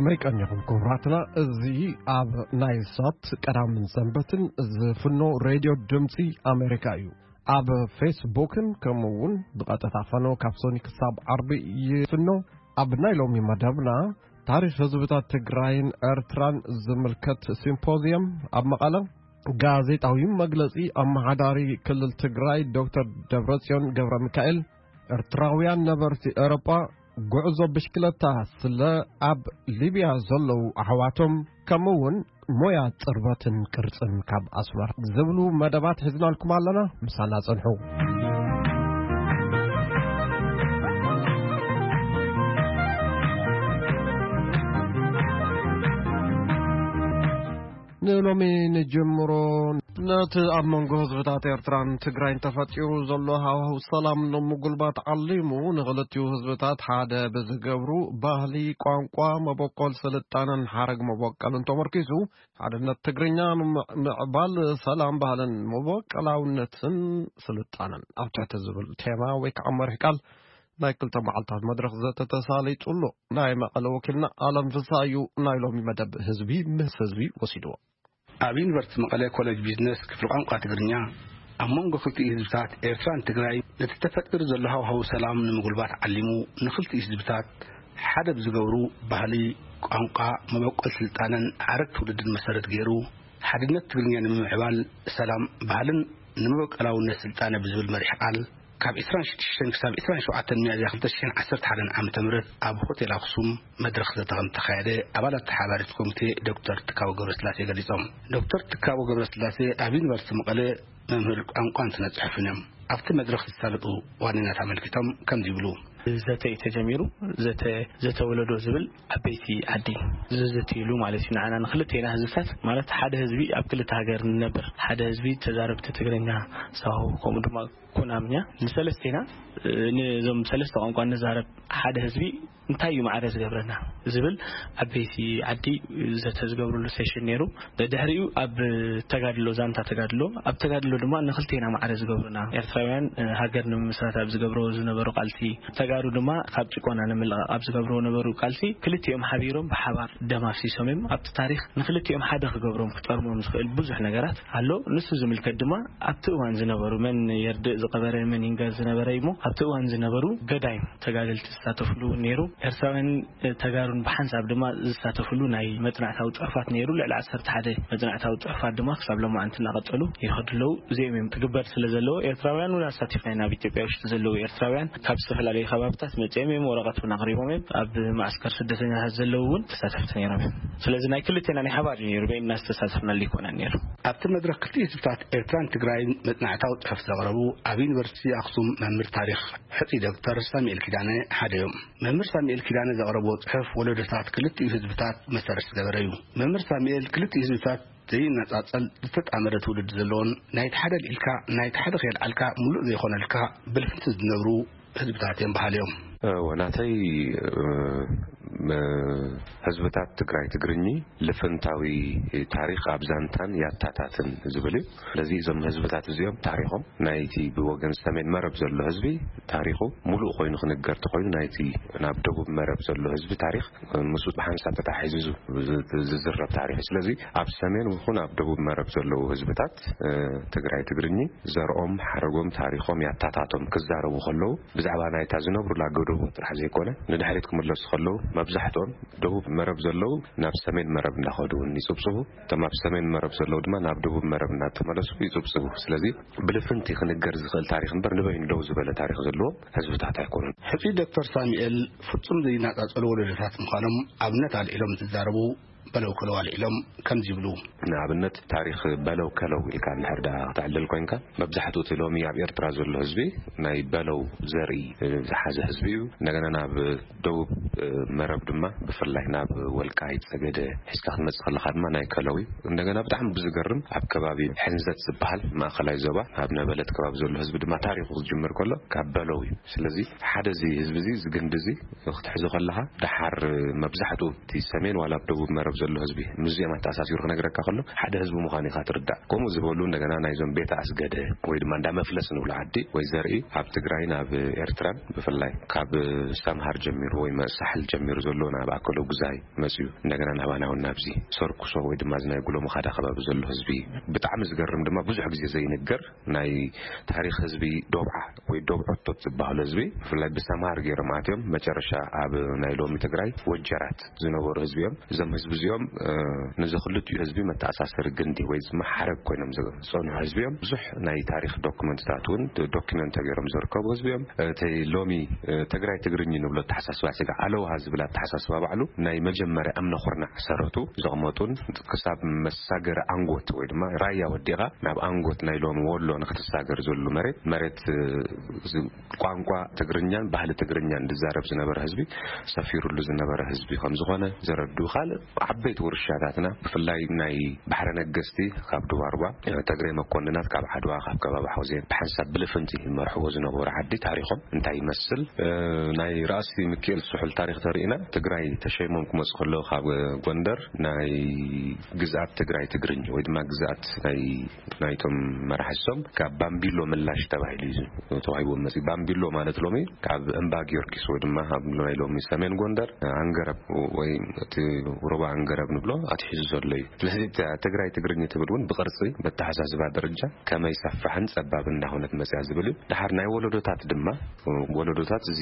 መይቀኒኹም ክቡራትና፣ እዚ ኣብ ናይ ሳት ቀዳምን ሰንበትን ዝፍኖ ሬድዮ ድምፂ ኣሜሪካ እዩ። ኣብ ፌስቡክን ከምኡ እውን ብቐጥታ ፈኖ ካብ ሶኒ ክሳብ ዓርቢ ይፍኖ። ኣብ ናይ ሎሚ መደብና ታሪኽ ህዝብታት ትግራይን ኤርትራን ዝምልከት ሲምፖዚየም ኣብ መቐለ፣ ጋዜጣዊ መግለጺ ኣመሓዳሪ ክልል ትግራይ ዶክተር ደብረጽዮን ገብረ ሚካኤል፣ ኤርትራውያን ነበርቲ ኤውሮጳ ጉዕዞ ብሽክለታ ስለ ኣብ ሊብያ ዘለዉ ኣሕዋቶም፣ ከምኡ እውን ሞያ ጽርበትን ቅርጽን ካብ ኣስመራ ዝብሉ መደባት ሒዝናልኩም ኣለና። ምሳና ጽንሑ። ንሎሚ ንጅምሮ። ነቲ ኣብ መንጎ ህዝብታት ኤርትራን ትግራይን ተፈጢሩ ዘሎ ሃዋህው ሰላም ንምጉልባት ዓሊሙ፣ ንኽልቲኡ ህዝብታት ሓደ ብዝገብሩ ባህሊ፣ ቋንቋ፣ መበቆል ስልጣነን ሓረግ መበቆልን ተመርኪሱ፣ ሓድነት ትግርኛ ንምዕባል ሰላም፣ ባህልን መበቆላውነትን ስልጣነን ኣብ ትሕቲ ዝብል ቴማ ወይ ከዓ መሪሕ ቃል ናይ ክልተ መዓልታት መድረኽ ዘተ ተሳሊጡ ኣሎ። ናይ መቐለ ወኪልና ኣለም ፍስሃ እዩ ናይ ሎሚ መደብ ህዝቢ ምስ ህዝቢ ወሲድዎ። ኣብ ዩኒቨርሲቲ መቐለ ኮሌጅ ቢዝነስ ክፍሊ ቋንቋ ትግርኛ፣ ኣብ መንጎ ክልቲኡ ህዝብታት ኤርትራን ትግራይ ነቲ ተፈጢሩ ዘሎ ሃዋህው ሰላም ንምጉልባት ዓሊሙ፣ ንክልቲኡ ህዝብታት ሓደ ብዝገብሩ ባህሊ፣ ቋንቋ፣ መበቆል ስልጣነን ሓረግ ትውልድን መሰረት ገይሩ፣ ሓድነት ትግርኛ ንምምዕባል ሰላም፣ ባህልን ንመበቆላውነት ስልጣነ ብዝብል መሪሕ ቃል፣ ካብ ዕስራን ሽዱሽተን ክሳብ ዕስራን ሸውዓተን ሚያዝያ ክልተ ሽሕን ዓሰርተ ሓደን ዓመተ ምህረት ኣብ ሆቴል ኣክሱም መድረኽ ዘተ ከም ተኻየደ ኣባላት ተሓባሪት ኮሚቴ ዶክተር ትካቦ ገብረስላሴ ገሊጾም። ዶክተር ትካቦ ገብረስላሴ ኣብ ዩኒቨርሲቲ መቐለ መምህር ቋንቋን ስነ ጽሑፍን እዮም። ኣብቲ መድረኽ ዝሳለጡ ዋኒናት ኣመልኪቶም ከምዚ ይብሉ። ዘተ እዩ ተጀሚሩ። ዘተ፣ ዘተ ወለዶ ዝብል ዓበይቲ ዓዲ ዝዝትይሉ ማለት እዩ። ንዓና ንክልቴና ህዝብታት ማለት ሓደ ህዝቢ ኣብ ክልተ ሃገር ንነብር፣ ሓደ ህዝቢ ተዛረብቲ ትግርኛ፣ ሳሆ፣ ከምኡ ድማ ኩናምኛ ንሰለስቴና፣ እ፣ ነዞም ሰለስተ ቋንቋ ንዛረብ ሓደ ህዝቢ እንታይ እዩ ማዕረ ዝገብረና ዝብል ዓበይቲ ዓዲ ዘተ ዝገብርሉ ሴሽን ነይሩ። ድሕሪኡ ኣብ ተጋድሎ፣ ዛንታ ተጋድሎ፣ ኣብ ተጋድሎ ድማ ንክልቴና ማዕረ ዝገብሩና ኤርትራውያን፣ እ፣ ሃገር ንምምስራት ኣብ ዝገብርዎ ዝነበሩ ቃልሲ፣ ተጋሩ ድማ ካብ ጭቆና ንምልቓቕ ኣብ ዝገብርዎ ነበሩ ቃልሲ፣ ክልቲኦም ሓቢሮም ብሓባር ደም ኣፍሲሶም እዮም። ኣብቲ ታሪኽ ንክልቲኦም ሓደ ክገብሮም፣ ክጠርሞም ዝኽእል ብዙሕ ነገራት ኣሎ። ንሱ ዝምልከት ድማ ኣብቲ እዋን ዝነበሩ፣ መን የርድእ ዝቐበረ መን ይንገር ዝነበረ እዩ እሞ፣ ኣብቲ እዋን ዝነበሩ ገዳይም ተጋደልቲ ዝሳተፍሉ እውን ነይሩ። ኤርትራውያን ተጋሩን ብሓንሳብ ድማ ዝሳተፍሉ ናይ መጽናዕታዊ ጽሑፋት ነይሩ። ልዕሊ ዓሰርተ ሓደ መጽናዕታዊ ጽሑፋት ድማ ክሳብ ሎማዓንቲ እናቐጸሉ ይኸዱ ኣለዉ። እዚኦም እዮም ክግበር ስለ ዘለዎ፣ ኤርትራውያን እውን ኣሳቲፍና ኢና። ኣብ ኢትዮጵያ ውሽጢ ዘለዉ ኤርትራውያን ካብ ዝተፈላለዩ ከባብታት መጺኦም እዮም፣ ወረቐት እውን ኣቕሪቦም እዮም። ኣብ ማዕስከር ስደተኛታት ዘለዉ እውን ተሳተፍቲ ነይሮም እዮም። ስለዚ ናይ ክልቴና ናይ ሓባር እዩ ነይሩ፣ በይንና ዝተሳተፍናሉ ኣይኮነን ነይሩ። ኣብቲ መድረኽ ክልቲኡ ህዝብታት ኤርትራን ትግራይን መጽናዕታዊ ጽሑፍ ዘቕረቡ ኣብ ዩኒቨርሲቲ ኣኽሱም መምህር ታሪኽ ሕጹይ ዶክተር ሳሙኤል ኪዳነ ሓደ እዮም። መምህር ሳሙኤል ኪዳነ ዘቕረብዎ ጽሑፍ ወለዶታት ክልቲኡ ህዝብታት መሰረት ዝገበረ እዩ። መምህር ሳሙኤል ክልቲኡ ህዝብታት ዘይነጻጸል ዝተጣመረ ትውልዲ ዘለዎን ናይቲ ሓደ ልዒልካ ናይቲ ሓደ ከየልዓልካ ምሉእ ዘይኾነልካ ብልፍንቲ ዝነብሩ ህዝብታት እዮም በሃሊ እዮም። እወ፣ ናተይ፣ እ፣ መ-፣ ህዝብታት ትግራይ ትግርኚ ልፍንታዊ ታሪኽ ኣብ ዛንታን ያታታትን ዝብል እዩ። ስለዚ እዞም ህዝብታት እዚኦም ታሪኾም ናይቲ ብወገን ሰሜን መረብ ዘሎ ህዝቢ ታሪኹ ሙሉእ ኮይኑ ክንገር ተኾይኑ ናይቲ ናብ ደቡብ መረብ ዘሎ ህዝቢ ታሪኽ ምስኡ ብሓንሳብ ተታሒዙ ዝ-፣ ዝ-፣ ዝዝረብ ታሪኽ እዩ። ስለዚ ኣብ ሰሜን ይኹን ኣብ ደቡብ መረብ ዘለዉ ህዝብታት፣ እ፣ ትግራይ ትግርኚ ዘርኦም፣ ሓረጎም፣ ታሪኾም ያታታቶም ክዛረቡ ከለዉ ብዛዕባ ናይታ ዝነብሩላ ጎደቦ ጥራሕ ዘይኮነ ንድሕሪት ክምለሱ ከለዉ መብዛሕትኦም ደቡብ መረብ ዘለዉ ናብ ሰሜን መረብ እንዳኸዱ እውን ይጽብጽቡ። እቶም ኣብ ሰሜን መረብ ዘለዉ ድማ ናብ ደቡብ መረብ እናተመለሱ ይጽብጽቡ። ስለዚ ብልፍንቲ ክንገር ዝኽእል ታሪኽ እምበር ንበይኑ ደው ዝበለ ታሪኽ ዘለዎም ህዝብታት ኣይኮኑን። ሕጹይ ዶክተር ሳሙኤል ፍጹም ዘይነጻጸሉ ወለዶታት ምዃኖም ኣብነት ኣልዒሎም እንትዛረቡ በለው ከለው ኣልዒሎም ከምዚ ይብሉ። ንኣብነት ታሪኽ በለው ከለው ኢልካ እንድሕር ደኣ ክተዕልል ኮይንካ፣ መብዛሕትኡ እቲ ሎሚ ኣብ ኤርትራ ዘሎ ህዝቢ ናይ በለው ዘርኢ ዝሓዘ ህዝቢ እዩ። እንደገና ናብ ደቡብ መረብ ድማ ብፍላይ ናብ ወልቃይት ጸገደ ሒዝካ ክትመጽእ ከለኻ ድማ ናይ ከለው እዩ። እንደገና ብጣዕሚ ብዝገርም ኣብ ከባቢ ሕንዘት ዝበሃል ማእከላይ ዞባ ኣብ ነበለት ከባቢ ዘሎ ህዝቢ ድማ ታሪኹ ክጅምር ከሎ ካብ በለው እዩ። ስለዚ ሓደ እዚ ህዝቢ እዚ፣ እዚ ግንዲ እዚ ክትሕዞ ከለኻ፣ ደሓር መብዛሕትኡ እቲ ሰሜን ዋላ ኣብ ደቡብ መረብ ዘሎ ህዝቢ ምስዚኦም ኣተኣሳሲሩ ክነግረካ ከሎ ሓደ ህዝቢ ምዃኑ ኢኻ ትርዳእ። ከምኡ ዝበሉ እንደገና ናይዞም ቤተ ኣስገደ ወይ ድማ እንዳ መፍለስ ንብሎ ዓዲ ወይ ዘርኢ ኣብ ትግራይ ናብ ኤርትራን ብፍላይ ካብ ሰምሃር ጀሚሩ ወይ መ- ሳሕል ጀሚሩ ዘሎ ናብ ኣከሎ ጉዛይ መፅዩ እንደገና ናባና እውን ናብዚ ሰርኩሶ ወይ ድማ እዚ ናይ ጉሎ መኻዳ ከባቢ ዘሎ ህዝቢ ብጣዕሚ ዝገርም ድማ ብዙሕ ግዜ ዘይንገር ናይ ታሪኽ ህዝቢ ዶብዓ ወይ ዶብዖቶት ዝበሃሉ ህዝቢ ብፍላይ ብሰምሃር ገይሮም ኣትዮም መጨረሻ ኣብ ናይ ሎሚ ትግራይ ወጀራት ዝነበሩ ህዝቢ እዮም። እዞም ህዝቢ እዚኦም ንዚ ክልቲኡ ህዝቢ መተኣሳሰሪ ግንዲ ወይ ድማ ሓረግ ኮይኖም ዝፀንሑ ህዝቢ እዮም። ብዙሕ ናይ ታሪኽ ዶክመንትታት እውን ዶክመንት ተገይሮም ዝርከቡ ህዝቢ እዮም። እቲ ሎሚ ትግራይ ትግርኝ ንብሎ ኣተሓሳስባ ስጋ ኣለውሃ ዝብል ኣተሓሳስባ ባዕሉ ናይ መጀመርያ እምነ ኩርናዕ ሰረቱ ዘቕመጡን ክሳብ መሳገሪ ኣንጎት ወይ ድማ ራያ ወዲቓ ናብ ኣንጎት ናይ ሎሚ ወሎ ንክትሳገር ዝብሉ መሬት መሬት ቋንቋ ትግርኛን ባህሊ ትግርኛን ዝዛረብ ዝነበረ ህዝቢ ሰፊሩሉ ዝነበረ ህዝቢ ከም ዝኾነ ዘረድኡ ካልእ ዓበይቲ ውርሻታትና ብፍላይ ናይ ባሕረ ነገስቲ ካብ ድባርባ ተግሬ መኮንናት ካብ ዓድዋ ካብ ከባቢ ሓውዜን ብሓንሳብ ብልፍንቲ ይመርሕዎ ዝነበሩ ዓዲ ታሪኾም እንታይ ይመስል ናይ ራእሲ ምክኤል ስሑል ታሪኽ ተርእና ትግራይ ተሸይሞም ክመፁ ከለዉ ካብ ጎንደር ናይ ግዝኣት ትግራይ ትግርኝ ወይ ድማ ግዝኣት ናይ ናይቶም መራሕሶም ካብ ባምቢሎ ምላሽ ተባሂሉ እዩ ተዋሂቦም መፅእ። ባምቢሎ ማለት ሎሚ ካብ እምባ ጊዮርጊስ ወይ ድማ ኣብ ናይ ሎሚ ሰሜን ጎንደር ኣንገረብ ወይ እቲ ሩባ ኣንገረብ ንብሎ ኣትሒዙ ዘሎ እዩ። ስለዚ ትግራይ ትግርኝ ትብል እውን ብቅርፂ መተሓሳስባ ደረጃ ከመይ ሰፋሕን ፀባብ እንዳሆነት መፅያ ዝብል እዩ። ድሓር ናይ ወለዶታት ድማ ወለዶታት እዚ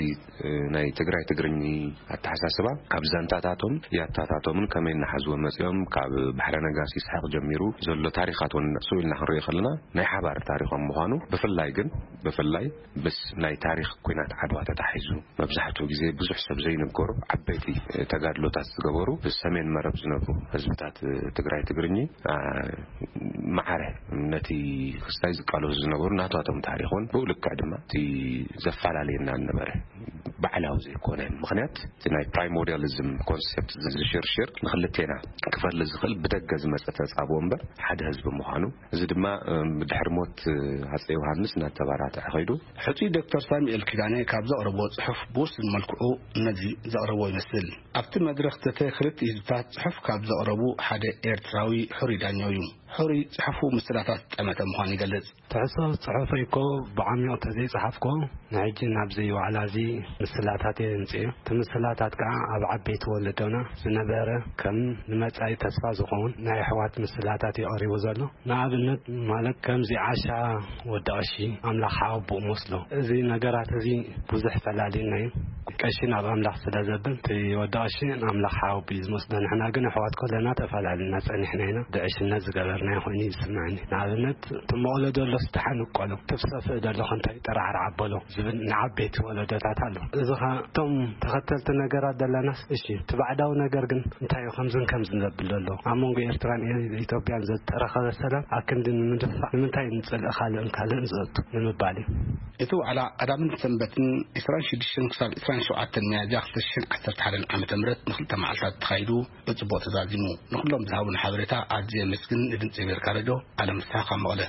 ናይ ትግራይ ትግርኝ ኣተሓሳስባ ካብ ዛንታታቶም ያታታቶምን ከመይ እናሓዝዎ መፅኦም ካብ ባሕረ ነጋሲ ስሓቕ ጀሚሩ ዘሎ ታሪኻት እውን ንዕሱ ኢልና ክንሪኦ ከለና ናይ ሓባር ታሪኾም ምዃኑ ብፍላይ ግን ብፍላይ ምስ ናይ ታሪኽ ኩናት ዓድዋ ተታሒዙ መብዛሕትኡ ግዜ ብዙሕ ሰብ ዘይንገሩ ዓበይቲ ተጋድሎታት ዝገበሩ ብሰሜን መረብ ዝነብሩ ህዝብታት ትግራይ ትግርኝ ማዕረ ነቲ ክስታይ ዝቃለሱ ዝነበሩ ናቷቶም ታሪኽን ብኡ ልክዕ ድማ እቲ ዘፈላለየና ነበረ ባዕላዊ ዘይኮነ ምክንያት እቲ ናይ ፕራይሞርዲያሊዝም ኮንሰፕት ዝሽርሽር ንክልቴና ክፈሊ ዝኽእል ብደገ ዝመፀ ተፃብኦ እምበር ሓደ ህዝቢ ምዃኑ እዚ ድማ ድሕሪ ሞት ኣፀ ዮሃንስ እናተባራትዐ ኸይዱ ሕፁይ ዶክተር ሳሙኤል ኪዳነ ካብ ዘቕረቦ ፅሑፍ ብውሱን መልክዑ ነዚ ዘቕረቦ ይመስል። ኣብቲ መድረኽ ዘተ ክልተ ህዝብታት ፅሑፍ ካብ ዘቕረቡ ሓደ ኤርትራዊ ሕሩይ ዳኛው እዩ። ሕሩይ ፅሑፉ ምስላታት ጠመተ ምዃኑ ይገልጽ። ትሕዝቶ ጽሑፈይ እኮ ብዓሚቕ ተዘይጸሓፍኩዎ ንሕጂ ናብዚ ዋዕላ እዚ ምስላታት እየ ዘምጽእ። እቲ ምስላታት ከኣ ኣብ ዓበይቲ ወለዶና ዝነበረ ከም ንመጻኢ ተስፋ ዝኸውን ናይ ኣሕዋት ምስላታት እዩ ቀሪቡ ዘሎ። ንኣብነት ማለት ከምዚ ዓሻ ወዲ ቀሺ ኣምላኽ ሓወቦኡ መስሎ። እዚ ነገራት እዚ ብዙሕ ፈላልዩና እዩ። ቀሺ ናብ ኣምላኽ ስለ ዘብል እቲ ወዲ ቀሺ ንኣምላኽ ሓወቦኡ እዩ ዝመስሎ። ንሕና ግን ኣሕዋት ከለና ተፈላልና ጸኒሕና ኢና። ብዕሽነት ዝገበርናዮ ኮይኑ እዩ ዝስምዐኒ። ንኣብነት እቲ መቕሎ ደሎስ ደሓን እቆሎ፣ እቲ ሰፍእ ደሎ እንታይ ጠራዕራዕ ኣበሎ ዝብል ንዓበይቲ ወለዶታት ኣሎ። እዚ ኸኣ እቶም ተኸተልቲ ነገራት ዘለናስ እሺ እቲ ባዕዳዊ ነገር ግን እንታይ እዩ ከምዝን ከምዝን ዘብል ዘሎ? ኣብ መንጎ ኤርትራን ኤ- ኢትዮጵያን ዝተረኸበ ሰላም ኣክንዲ ንምድፋእ ንምንታይ ንጽልኢ ካልእን ካልእን ዘእቱ ንምባል እዩ። እቲ ዋዕላ ቀዳምን ሰንበትን ዕስራን ሽዱሽተን ክሳብ ዕስራን ሸውዓተን ሚያዝያ ክልተ ሽሕን ዓሰርተ ሓደን ዓመተ ምህረት ንክልተ መዓልታት ተኻይዱ ብጽቡቕ ተዛዚሙ። ንኹሎም ዝሃቡን ሓበሬታ ኣዝየ የመስግን። ንድምጺ ኣሜሪካ ሬድዮ ኣለም ፍስሓ ካብ መቐለ።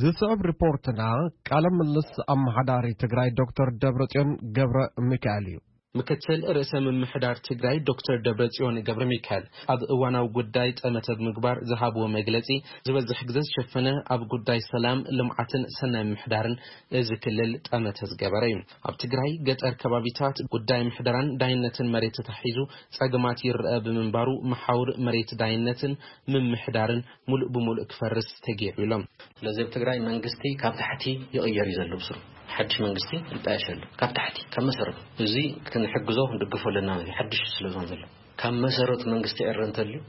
ዝስዕብ ሪፖርትና ቃለ ምልልስ ኣመሓዳሪ ትግራይ ዶክተር ደብረጽዮን ገብረ ሚካኤል እዩ። ምክትል ርእሰ ምምሕዳር ትግራይ ዶክተር ደብረጽዮን ገብረ ሚካኤል ኣብ እዋናዊ ጉዳይ ጠመተ ብምግባር ዝሃብዎ መግለጺ ዝበዝሕ ግዘ ዝሸፈነ ኣብ ጉዳይ ሰላም፣ ልምዓትን ሰናይ ምምሕዳርን እዚ ክልል ጠመተ ዝገበረ እዩ። ኣብ ትግራይ ገጠር ከባቢታት ጉዳይ ምሕደራን ዳይነትን መሬት ተታሒዙ ጸገማት ይረኣ ብምንባሩ መሓውር መሬት ዳይነትን ምምሕዳርን ሙሉእ ብሙሉእ ክፈርስ ተገይሩ ኢሎም። ስለዚ ኣብ ትግራይ መንግስቲ ካብ ታሕቲ ይቕየር እዩ ዘሎ ብስሩ። ሓድሽ መንግስቲ ይጣየሽ ኣሎ ካብ ታሕቲ ካብ መሰረቱ። እዚ ክንሕግዞ ክንድግፎ ኣለና ማለት እዩ። ሓድሽ ስለ ዝኾነ ዘሎ ካብ መሰረቱ መንግስቲ ኤረ እንተልዩ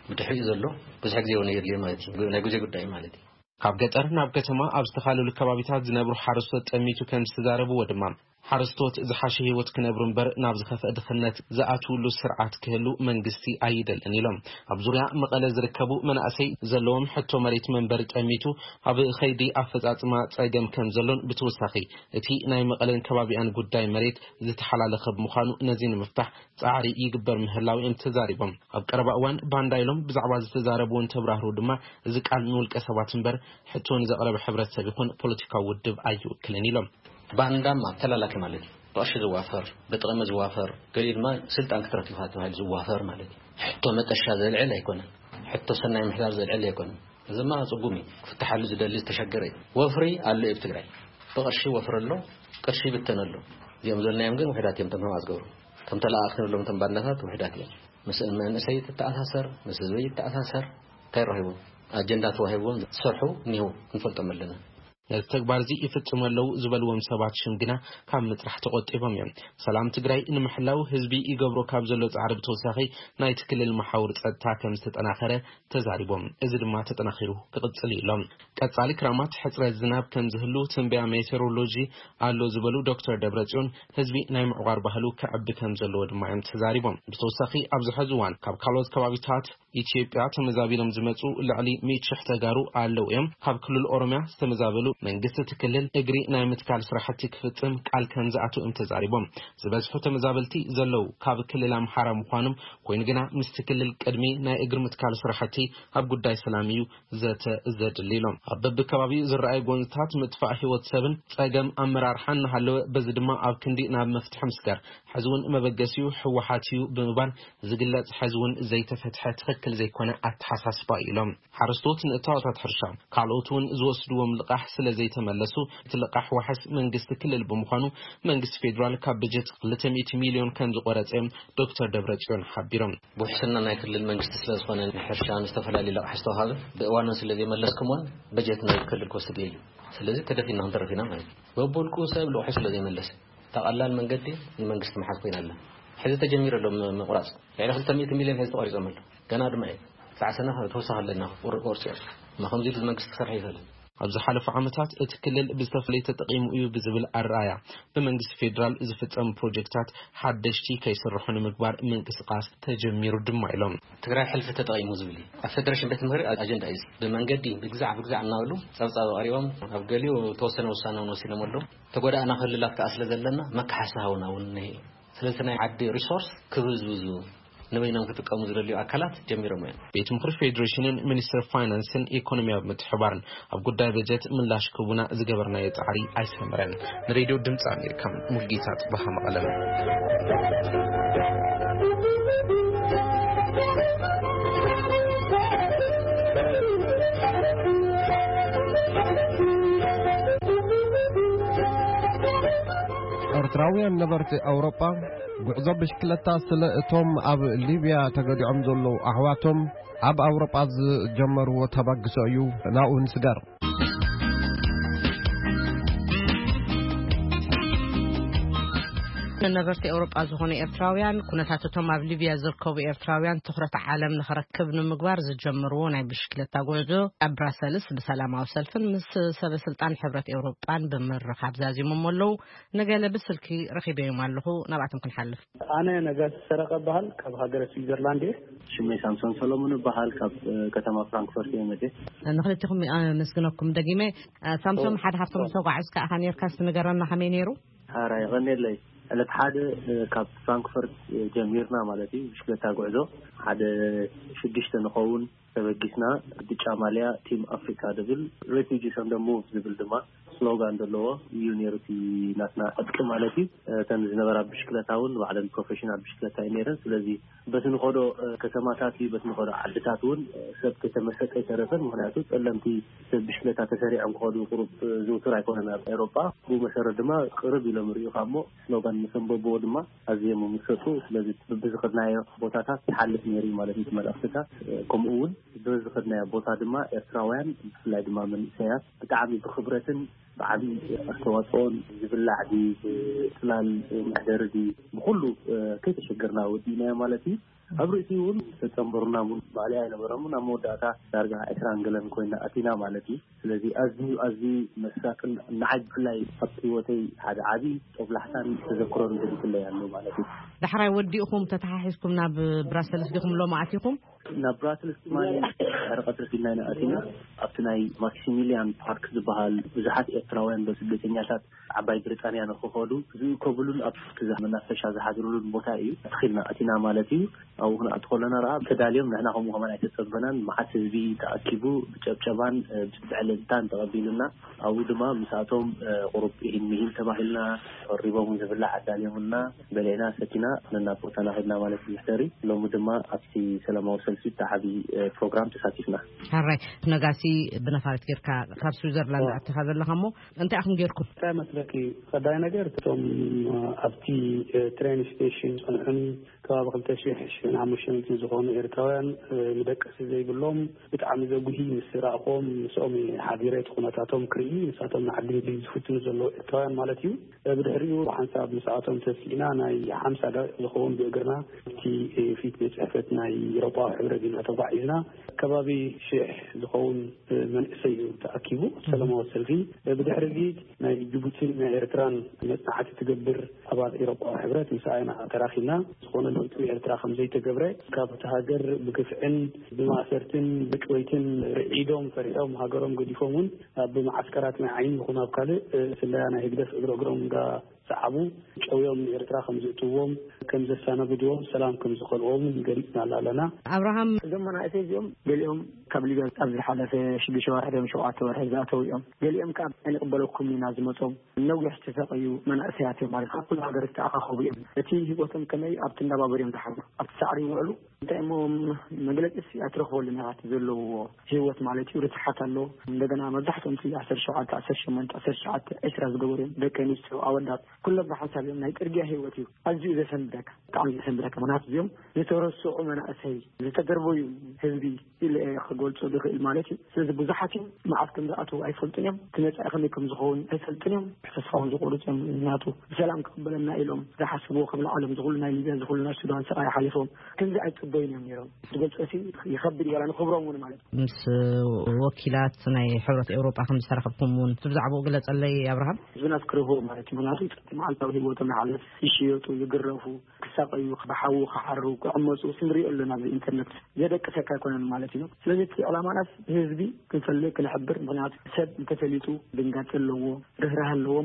ብድሕሪኡ ዘሎ ብዙሕ ግዜ እውን የድልዮ ማለት እዩ። ናይ ግዜ ጉዳይ ማለት እዩ። ካብ ገጠር ናብ ከተማ ኣብ ዝተፈላለዩ ከባቢታት ዝነብሩ ሓረስቶት ጠሚቱ ከም ዝተዛረብዎ ድማ ሓረስቶት ዝሓሸ ህይወት ክነብሩ እምበር ናብ ዝኸፍአ ድኽነት ዝኣትውሉ ስርዓት ክህሉ መንግስቲ ኣይደልን ኢሎም። ኣብ ዙርያ መቐለ ዝርከቡ መናእሰይ ዘለዎም ሕቶ መሬት መንበሪ ጠሚቱ ኣብ ኸይዲ ኣፈፃፅማ ፀገም ከም ዘሎን ብተወሳኺ እቲ ናይ መቐለን ከባቢኣን ጉዳይ መሬት ዝተሓላለኸ ብምዃኑ ነዚ ንምፍታሕ ፃዕሪ ይግበር ምህላው እዮም ተዛሪቦም። ኣብ ቀረባ እዋን ባንዳ ኢሎም ብዛዕባ ዝተዛረብዎ እንትብራህርሁ ድማ እዚ ቃል ንውልቀ ሰባት እምበር ሕቶ ንዘቕረበ ሕብረተሰብ ይኹን ፖለቲካዊ ውድብ ኣይውክልን ኢሎም። ባንዳማ ተላላኪ ማለት እዩ። ብቕርሺ ዝዋፈር፣ ብጥቕሚ ዝዋፈር፣ ገሊኡ ድማ ስልጣን ክትረክብ ኢኻ ተባሂሉ ዝዋፈር ማለት እዩ። ሕቶ መጠሻ ዘልዕል ኣይኮነን። ሕቶ ሰናይ ምሕዳር ዘልዕል ኣይኮነን። እዚ ድማ ጽጉም እዩ። ክፍትሓሉ ዝደሊ ዝተሸገረ እዩ። ወፍሪ ኣሎ እዩ ኣብ ትግራይ። ብቕርሺ ወፍሪ ኣሎ፣ ቅርሺ ይብተን ኣሎ። እዚኦም ዘለናዮም ግን ውሕዳት እዮም፣ እቶም ከም ኣዝገሩ። እቶም ተለኣኣኽቲ ንብሎም እቶም ባንዳታት ውሕዳት እዮም። ምስ መንእሰይ ይተኣሳሰር፣ ምስ ህዝቢ ይተኣሳሰር፣ እንታይ ረኺቡ? ኣጀንዳ ተዋሂብዎም ዝሰርሑ እኒህው፣ ክንፈልጦም ኣለና። ነዚ ተግባር እዚ ይፍጽሙ ኣለዉ ዝበልዎም ሰባት ሽም ግና ካብ ምጥራሕ ተቖጢቦም እዮም። ሰላም ትግራይ ንምሕላው ህዝቢ ይገብሮ ካብ ዘሎ ጻዕሪ ብተወሳኺ ናይቲ ክልል መሓውር ጸጥታ ከም ዝተጠናኸረ ተዛሪቦም። እዚ ድማ ተጠናኺሩ ክቕጽል እዩ ኢሎም። ቀጻሊ ክራማት ሕጽረት ዝናብ ከም ዝህሉ ትንበያ ሜቴሮሎጂ ኣሎ ዝበሉ ዶክተር ደብረጽዮን፣ ህዝቢ ናይ ምዕቋር ባህሉ ክዕቢ ከም ዘለዎ ድማ እዮም ተዛሪቦም። ብተወሳኺ ኣብዚ ሕዚ እዋን ካብ ካልኦት ከባቢታት ኢትዮጵያ ተመዛቢሎም ዝመጹ ልዕሊ ሚእቲ ሽሕ ተጋሩ ኣለዉ እዮም። ካብ ክልል ኦሮሚያ ዝተመዛበሉ መንግስቲ እቲ ክልል እግሪ ናይ ምትካል ስራሕቲ ክፍጽም ቃል ከም ዝኣትው እዮም ተዛሪቦም። ዝበዝሑ ተመዛበልቲ ዘለዉ ካብ ክልል ኣምሓራ ምዃኖም ኮይኑ ግና ምስቲ ክልል ቅድሚ ናይ እግሪ ምትካል ስራሕቲ ኣብ ጉዳይ ሰላም እዩ ዘተ ዘድሊ ኢሎም። ኣብ በብከባቢኡ ዝረኣዩ ጎንፅታት ምጥፋእ ህይወት ሰብን ጸገም ኣመራርሓን እናሃለወ በዚ ድማ ኣብ ክንዲ ናብ መፍትሒ ምስጋር ሕዚ እውን መበገሲኡ ህወሓት እዩ ብምባል ዝግለጽ ሕዚ እውን ዘይተፈትሐ ትኽክል ዘይኮነ ኣተሓሳስባ እዩ ኢሎም። ሓረስቶት ንእታወታት ሕርሻ ካልኦት እውን ዝወስድዎም ልቓሕ ስለ ዘይተመለሱ እቲ ልቓሕ ዋሕስ መንግስቲ ክልል ብምዃኑ መንግስቲ ፌዴራል ካብ በጀት ክልተ ሚእቲ ሚልዮን ከም ዝቆረጸ እዮም ዶክተር ደብረጽዮን ሓቢሮም። ብውሕስና ናይ ክልል መንግስቲ ስለ ዝኾነ ንሕርሻ ንዝተፈላለዩ ልቓሕ ዝተዋሃበ ብእዋኑ ስለ ዘይመለስኩምዎን በጀት ናይ ክልል ክወስድ እዩ። ስለዚ ተደፊና ክንተረፍ ኢና ማለት እዩ። በብውልቁ ሰብ ልቑሑ ስለ ዘይመለሰ እታ ቀላል መንገዲ ንመንግስቲ ምሓዝ ኮይና ኣላ። ሕዚ ተጀሚሩ ኣሎ ም-፣ ምቑራጽ። ልዕሊ ክልተ ሚእቲ ሚልዮን ሕዚ ተቖሪጾም ኣሎ። ገና ድማ እዩ። ክሳዕ ሰነ ተወሳኺ ኣለና ቁር-፣ ቁርጺ። እማ ከምዚ ኢሉ መንግስቲ ክሰርሕ ይኽእል። ኣብ ዝሓለፉ ዓመታት እቲ ክልል ብዝተፈላለየ ተጠቒሙ እዩ ብዝብል ኣረኣያ ብመንግስቲ ፌዴራል ዝፍጸሙ ፕሮጀክታት ሓደሽቲ ከይስርሑ ንምግባር ምንቅስቓስ ተጀሚሩ ድማ ኢሎም። ትግራይ ሕልፊ ተጠቒሙ ዝብል እዩ። ኣብ ፌደሬሽን ቤት ምኽሪ ኣጀንዳ እዩ። ብመንገዲ ብግዛዕ ብግዛዕ እናበሉ ጸብጻብ ኣቕሪቦም ኣብ ገሊኡ ተወሰነ ውሳነ እውን ወሲኖም ኣለዉ። ተጎዳእና ክልላት ከኣ ስለ ዘለና መካሓሲ ሃቡና እውን እኒሀ እዩ። ስለዚ ናይ ዓዲ ሪሶርስ ክብዝብዙ ንበይኖም ክጥቀሙ ዝደልዩ ኣካላት ጀሚሮም እዮም። ቤት ምኽሪ ፌዴሬሽንን ሚኒስትሪ ፋይናንስን ኢኮኖሚያዊ ምትሕባርን ኣብ ጉዳይ በጀት ምላሽ ክቡና ዝገበርናዮ ጻዕሪ ኣይሰመረን። ንሬድዮ ድምፂ ኣሜሪካ ሙልጌታ ጽባሃ መቐለም። ኤርትራውያን ነበርቲ ኣውሮጳ ጉዕዞ ብሽክለታ ስለ እቶም ኣብ ሊብያ ተገዲዖም ዘለዉ ኣሕዋቶም ኣብ ኣውሮጳ ዝጀመርዎ ተበግሶ እዩ። ናብኡ ንስገር። ነበርቲ ኤውሮጳ ዝኾኑ ኤርትራውያን ኩነታት እቶም ኣብ ሊብያ ዝርከቡ ኤርትራውያን ትኹረት ዓለም ንኽረክብ ንምግባር ዝጀመርዎ ናይ ብሽክለታ ጉዕዞ ኣብ ብራሰልስ ብሰላማዊ ሰልፍን ምስ ሰበ ስልጣን ሕብረት ኤውሮጳን ብምርኻብ ዛዚሞም ኣለዉ። ንገለ ብስልኪ ረኺበዮም ኣለኹ፣ ናብኣቶም ክንሓልፍ። ኣነ ነጋሲ ሰረቐ እበሃል፣ ካብ ሃገረ ስዊዘርላንድ እየ። ሽመይ ሳምሶን ሰሎሞን እበሃል፣ ካብ፣ እ፣ ከተማ ፍራንክፈርት እየ መጽየ። ንኽልቲኹም ኣመስግነኩም ደጊመ። እ፣ ሳምሶን፣ ኦ፣ ሓደ ካብቶም ኦ። ዝተጓዕዝካ ኢኻ ነርካ፣ እስቲ ንገረና ከመይ ነይሩ? ሓራ የቐንየለይ። ዕለት ሓደ፣ እ፣ ካብ ፍራንክፈርት፣ እ፣ ጀሚርና ማለት እዩ፣ ብሽክለታ ጉዕዞ። ሓደ ሽዱሽተ ንኸውን ተበጊስና፣ ብጫ ማልያ ቲም ኣፍሪካ ዝብል ሬፊጂ ሰንደሙ ዝብል ድማ ስሎጋን ዘለዎ እዩ ነይሩ እቲ ናትና ዕጥቂ ማለት እዩ። እተን ዝነበራ ብሽክለታ እውን ባዕለን ፕሮፌሽናል ብሽክለታ እዩ ነይረን። ስለዚ በቲ ንኸዶ፣ እ፣ ከተማታት እዩ፣ በቲ ንኸዶ ዓድታት እውን፣ እ፣ ሰብ ከተመሰጠ ኣይተረፈን። ምኽንያቱ ጸለምቲ ሰብ ብሽክለታ ተሰሪዖም ክኸዱ ቁሩብ፣ እ፣ ዝውቱር ኣይኮነን ኣብ ኤውሮጳ። ብኡ መሰረት ድማ ቅርብ ኢሎም ይርእዩኻ እሞ ስሎጋን ምስ ኣንበብዎ ድማ ኣዝዮም ይምሰጡ። ስለዚ በብዝኸድናዮ ቦታታት ይሓልፍ ነይሩ እዩ ማለት እዩ እቲ መልእኽትታት። እ፣ ከምኡ እውን በብዝኸድናዮ ቦታ ድማ ኤርትራውያን ብፍላይ ድማ መንእሰያት ብጣዕሚ ብኽብረትን ብዓቢ ኣስተዋጽኦን ዝብላዕ ድዩ፣ ብጽላል መሕደሪ ድዩ፣ ብኹሉ፣ እ፣ ከይተሸገርና ወዲእናዮ ማለት እዩ። ኣብ ርእሲኡ እውን ዝተጸንበሩና እውን ማእለያ ኣይነበሮምን። ኣብ መወዳእታ ዳርጋ ዕስራን ገለን ኮይና ኣቲና ማለት እዩ። ስለዚ ኣዝዩ፣ ኣዝዩ መሳጥን ንዓይ ብፍላይ ኣብቲ ህይወተይ ሓደ ዓቢ ጦብላሕታን ተዘክሮን ገዲፍለይ ኣሎ ማለት እዩ። ዳሕራይ ወዲእኹም ተተሓሒዝኩም ናብ ብራሰልስ ዲኹም ሎሚ ኣቲኹም? ናብ ብራስልስ ድማ ድሕሪ ቀትሪ ኪድና ኢና ኣቲና። ኣብቲ ናይ ማክሲሚሊያን ፓርክ ዝበሃል ብዙሓት ኤርትራውያን ስደተኛታት ዓባይ ብሪጣንያ ንክኸዱ ዝእከብሉን ኣብ ትዛ መናፈሻ ዝሓድሩሉን ቦታ እዩ። ኣትኺልና ኣቲና ማለት እዩ። ኣብኡ ክንኣቱ ከለና ረኣ ተዳልዮም፣ ንሕና ከምኡ ከማን ኣይተጸበናን። መዓት ህዝቢ ተኣኪቡ ብጨብጨባን ብዕልልታን ተቐቢሉና። ኣብኡ ድማ ምስኣቶም ቁሩብ ኢሂን ሚሂን ተባሂልና፣ ቀሪቦም ዝብላዕ ኣዳልዮምና፣ በሊዕና ሰቲና ነናብ ቦታና ከድና ማለት እዩ። ድሕሪ ሎሚ ድማ ኣብቲ ሰላማዊ ሰልፊ እቲ ዓቢ ፕሮግራም ተሳቲፍና። ሕራይ፣ ነጋሲ፣ ብነፋሪት ጌርካ ካብ ስዊዘርላንድ ኣቲኻ ዘለኻ እሞ እንታይ ኢኹም ጌርኩም? እንታይ መስለኪ? ቀዳይ ነገር እቶም ኣብቲ ትሬን ስቴሽን ጸንሑኒ ከባቢ ክልተ ሺሕ ሽሕን ሓሙሽተ ሚእትን ዝኾኑ ኤርትራውያን ንደቀሲ ዘይብሎም ብጣዕሚ ዘጉሂ ምስ ረእኾም ምስኦም ሓቢረ እቲ ኩነታቶም ክርኢ፣ ንሳቶም ንዓዲ እንግሊዝ ዝፍትኑ ዘለዉ ኤርትራውያን ማለት እዩ። ብድሕሪኡ ብሓንሳብ ምስኣቶም ተሲእና ናይ ሓምሳ ደቂቕ ዝኸውን ብእግርና ኣብቲ ፊት ቤት ጽሕፈት ናይ ኤውሮጳዊ ሕብረት ኢና ተጓዒዝና። ከባቢ ሽሕ ዝኸውን መንእሰይ እዩ ተኣኪቡ ሰላማዊ ሰልፊ። ብድሕሪ እዚ ናይ ጅቡቲን ናይ ኤርትራን መጽናዕቲ ትገብር ኣባል ኤውሮጳዊ ሕብረት ምስኣ ኢና ተራኺብና። ዝኾነ ለውጢ ኤርትራ ከም ዘይተገብረ፣ ካብቲ ሃገር ብግፍዕን ብማእሰርትን ብጭወይትን ርዒዶም ፈሪሖም ሃገሮም ገዲፎም እውን ኣብ መዓስከራት ናይ ዓይኒ ይኹን ኣብ ካልእ ስለያ ናይ ህግደፍ እግረ እግሮም እንዳ ሰዓቡ ጨውዮም ንኤርትራ ከም ዝእትዎም፣ ከም ዘሰናብድዎም፣ ሰላም ከም ዝኸልዎም ገሊጽና ኣለና። ኣብርሃም፣ እዞም መናእሰይ እዚኦም ገሊኦም ካብ ሊብያ ኣብ ዝሓለፈ ሽዱሽተ ወርሒ ድዮም ሸውዓተ ወርሒ ዝኣተው እዮም። ገሊኦም ከኣ ኣይንቕበለኩም ኢና ዝመጾም ነዊሕ ዝተሰቀዩ መናእሰያት እዮም ማለት ካብ ኩሉ ሃገር ዝተኣኻኸቡ እዮም። እቲ ህይወቶም ከመይ ኣብቲ እንዳባበር እዮም ዝሓድሩ፣ ኣብቲ ሳዕሪ ይውዕሉ። እንታይ እሞ መግለጺስ ኣይትረኽበሉን ኢኻ እቲ ዘለውዎ ህይወት ማለት እዩ። ርትሓት ኣሎ። እንደገና መብዛሕትኦም እቲ ዓሰርተ ሸውዓተ፣ ዓሰርተ ሸሞንተ፣ ዓሰርተ ትሽዓተ፣ ዕስራ ዝገበሩ እዮም። ደቂ ኣንስትዮ፣ ኣወዳት፣ ኩሎም ብሓንሳብ እዮም። ናይ ጽርግያ ህይወት እዩ። ኣዝዩ ዘሰንብደካ፣ ብጣዕሚ ዘሰንብደካ። ምኽንያቱ እዚኦም ዝተረስዑ መናእሰይ፣ ዝተደርበዩ ህዝቢ ኢለ እየ ክገልጾ ዝኽእል ማለት እዩ። ስለዚ ብዙሓት እዮም፣ መዓስ ከም ዝኣትዉ ኣይፈልጡን እዮም። እቲ መጻኢ ከመይ ከም ዝኸውን ኣይፈልጡን እዮም። ተስፋ እውን ዝቆርጹ እዮም። ምኽንያቱ ብሰላም ክቕበለና ኢሎም ዝሓስብዎ ከም ዓለም ዝኹሉ ናይ ሊብያ ዝኹሉ ናይ ሱዳን ስቓይ ሓሊፎም ከምዚ ኣይጽበዩን እዮም ነይሮም። ዝገልጾ ሲ ይኸብድ እዩ፣ ዋላ ንኽብሮም እውን ማለት እዩ። ምስ ወኪላት ናይ ሕብረት ኤውሮጳ ከም ዝተራኸብኩም እውን ብዛዕባኡ ግለጸለይ ኣብርሃም። ህዝብና ዝክርህዎ ማለት እዩ። ምኽንያቱ እቲ መዓልታዊ ህይወቶም ይሓልፍ፣ ይሽየጡ፣ ይግረፉ፣ ክሳቀዩ፣ ብሓዊ ክሓሩ፣ ክዕመፁ ንሪኦ ኣለና። ኣብዚ ኢንተርነት ዘደቅሰካ ኣይኮነን ማለት እዩ። ስለዚ እቲ ዕላማናስ ህዝቢ ክንፈልጥ፣ ክንሕብር፣ ምኽንያቱ ሰብ እንተፈሊጡ ድንጋፂ ኣለዎ፣ ርህራህ ኣለዎ።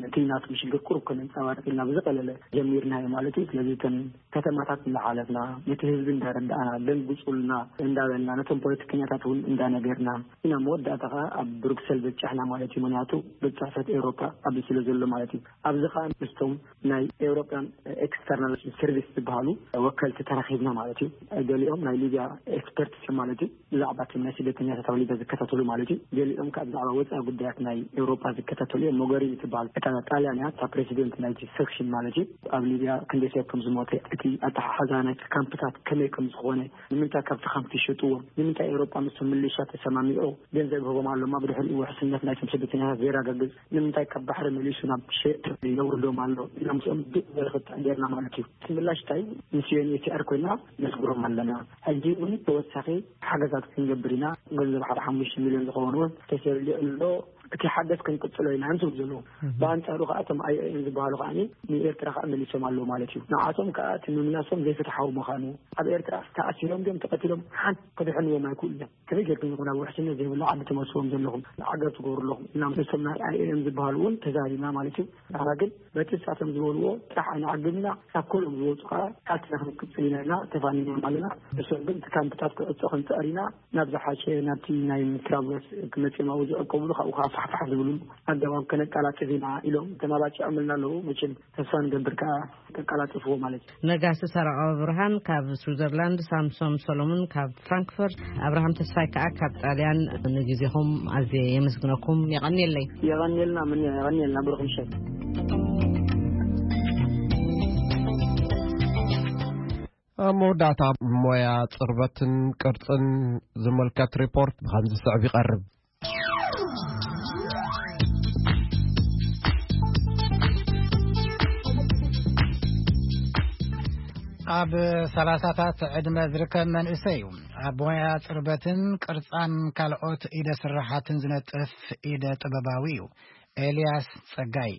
እቲ ናቱ ሽግር ቁሩብ ከነንፀባርቅ ኢልና ብዝቀለለ ጀሚርናዮ ማለት እዩ። ስለዚ እተን ከተማታት እንዳሓለፍና ነቲ ህዝቢ እንዳረዳእና፣ ደንግፁልና እንዳበልና፣ ነቶም ፖለቲከኛታት እውን እንዳነገርና ኢና መወዳእታ ከዓ ኣብ ብሩክሰል በጫሕና ማለት እዩ። ምኽንያቱ ቤት ጽሕፈት ኤውሮፓ ኣብዚ ስለ ዘሎ ማለት እዩ። ኣብዚ ከዓ ምስቶም ናይ ኤውሮፓን ኤክስተርናል ሰርቪስ ዝበሃሉ ወከልቲ ተራኺብና ማለት እዩ። ገሊኦም ናይ ሊብያ ኤክስፐርትስ እዮም ማለት እዩ። ብዛዕባ እቶም ናይ ስደተኛታት ኣብ ሊብያ ዝከታተሉ ማለት እዩ። ገሊኦም ከዓ ብዛዕባ ወፃኢ ጉዳያት ናይ ኤውሮፓ ዝከታተሉ እዮም። ሞገሪኒ ትበሃል እታ ጣልያን እያ፣ እታ ፕሬዚደንት ናይቲ ሰክሽን ማለት እዩ። ኣብ ሊብያ ክንደይ ሰብ ከም ዝሞተ፣ እቲ ኣተሓሕዛ ናይቲ ካምፕታት ከመይ ከም ዝኾነ፣ ንምንታይ ካብቲ ካምፕ ይሸጥዎም፣ ንምንታይ ኤውሮጳ ምስቶም ሚሊሻ ተሰማሚዑ ገንዘብ ይህቦም ኣሎ፣ እማ ብድሕሪኡ ውሕስነት ናይቶም ስደተኛታት ዘየረጋግጽ፣ ንምንታይ ካብ ባሕሪ መሊሱ ናብ ሸየጥቲ የውርዶም ኣሎ ኢልና ምስኦም ድቕ ዝበለ ክትዕ ጌርና ማለት እዩ። እቲ ምላሽ እንታይ እዩ? ምስ ዩ ኤን ኤች ሲ ኣር ኮይና ነስግሮም ኣለና። ሕጂ እውን ተወሳኺ ሓገዛት ክንገብር ኢና። ገንዘብ ሓደ ሓሙሽተ ሚልዮን ዝኸውን እውን ተሰሊዑ ኣሎ። እቲ ሓገዝ ክንቅጽሎ ኢና እንስብ ዘለዉ። ብኣንጻሩ ከኣ እቶም ኣይ ኦ ኤም ዝበሃሉ ከኣ ንኤርትራ ከኣ መሊሶም ኣለዉ ማለት እዩ። ንዓቶም ከኣ እቲ ምምላሶም ዘይፍትሓዊ ምዃኑ፣ ኣብ ኤርትራ ተኣሲሮም ድዮም ተቐቲሎም ሓንቲ ክድሕንዎም ኣይክእሉ እዮም። ከመይ ጌርኩም ኢኹም ናብ ውሕስነት ዘይብሉ ዓዲ ትመልስዎም ዘለኹም? ዓገብ ትገብሩ ኣለኹም። እና ምስቶም ናይ ኣይ ኦ ኤም ዝበሃሉ እውን ተዛሪብና ማለት እዩ። ንሕና ግን በቲ ንሳቶም ዝበልዎ ጥራሕ ኣይንዓግብና፣ ካብ ኮሎም ዝወፁ ከኣ ቃልስና ክንቅጽል ኢና ኢልና ተፋኒኖም ኣለና። ንሶም ግን እቲ ካምፕታት ክዕጾ ክንጽዕር ኢና፣ ናብ ዝሓሸ ናብቲ ናይ ትራቭለርስ ክመጽኦም ኣብኡ ዝዕቀብሉ ካብኡ ከኣ ፋሕፋሕ ዝብሉሉ ኣገባብ ከነቀላጥፍ ኢና ኢሎም ተማባጺዖምልና ኣለዉ። መቸም ተስፋ ንገብር ከኣ ከቀላጥፍዎ ማለት እዩ። ነጋሲ ሰረቐ ኣብርሃም ካብ ስዊዘርላንድ፣ ሳምሶም ሰሎሞን ካብ ፍራንክፈርት። ኣብርሃም ተስፋይ ከኣ ካብ ጣልያን። ንግዜኹም ኣዝየ የመስግነኩም። የቐንየለይ። የቐንየልና፣ ምን የቐንየልና፣ ብሩኽ ምሸት። ኣብ መወዳእታ ሞያ ጽርበትን ቅርጽን ዝምልከት ሪፖርት ብኸምዚ ዝስዕብ ይቐርብ። ኣብ ሰላሳታት ዕድመ ዝርከብ መንእሰይ እዩ። ኣብ ሞያ ጽርበትን ቅርጻን ካልኦት ኢደ ስራሓትን ዝነጥፍ ኢደ ጥበባዊ እዩ። ኤልያስ ጸጋይ